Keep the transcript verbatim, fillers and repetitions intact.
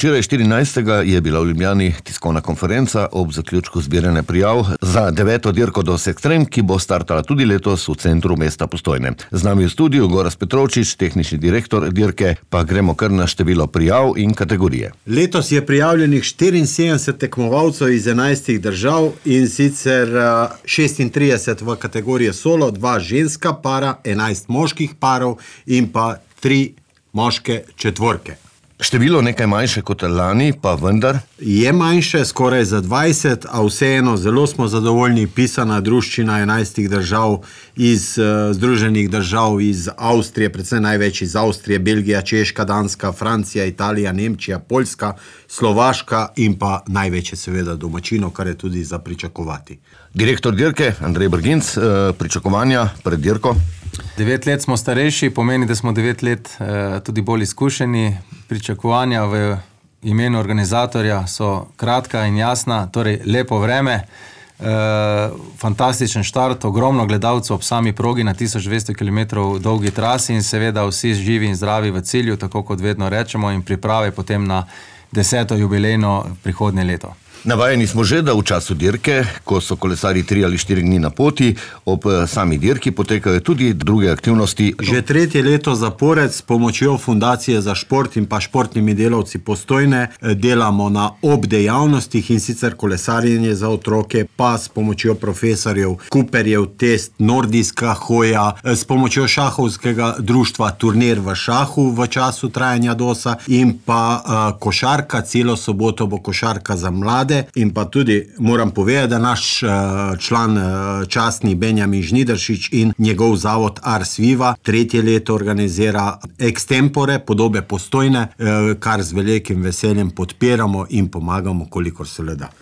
Včeraj štirinajstega je bila v Ljubljani tiskovna konferenca ob zaključku zbiranja prijav za deveto dirko DOS Extreme, ki bo startala tudi letos v centru mesta Postojne. Z nami v studiu Gorazd Petrovčič, tehnični direktor dirke, pa gremo kar na število prijav in kategorije. Letos je prijavljenih štiriinsedemdeset tekmovalcev iz enajstih držav in sicer šestintrideset v kategoriji solo, dva ženska para, enajst moških parov in pa tri moške četvorke. Število nekaj manjše kot lani, pa vendar? Je manjše, skoraj za dvajset, a vseeno zelo smo zadovoljni. Pisana druščina enajstih držav iz uh, Združenih držav, iz Avstrije, predvsem največ iz Avstrije, Belgija, Češka, Danska, Francija, Italija, Nemčija, Poljska, Slovaška in pa največje seveda domačino, kar je tudi za pričakovati. Direktor dirke, Andrej Brginc, uh, pričakovanja pred dirko? Devet let smo starejši, pomeni, da smo devet let eh, tudi bolj izkušeni. Pričakovanja v imenu organizatorja so kratka in jasna, torej lepo vreme, eh, fantastičen štart, ogromno gledalcev ob sami progi na tisoč dvesto kilometrov dolgi trasi in seveda vsi živi in zdravi v cilju, tako kot vedno rečemo, in priprave potem na deseto jubilejno prihodnje leto. Navajeni smo že, da v času dirke, ko so kolesarji tri ali štiri dni na poti, ob sami dirki potekajo tudi druge aktivnosti. Že tretje leto zapored s pomočjo Fundacije za šport in pa športnimi delavci Postojne delamo na obdejavnostih, in sicer kolesarjenje za otroke, pa s pomočjo profesorjev Cooperjev test, nordijska hoja, s pomočjo šahovskega društva turnir v šahu v času trajanja dosa in pa uh, košarka, celo soboto bo košarka za mlade. In pa tudi moram povedati, da naš uh, član uh, častni Benjamin Žnidaršič in njegov zavod Ars Viva tretje leto organizira extempore, podobe Postojne, uh, kar z velikim veseljem podpiramo in pomagamo, kolikor se le da.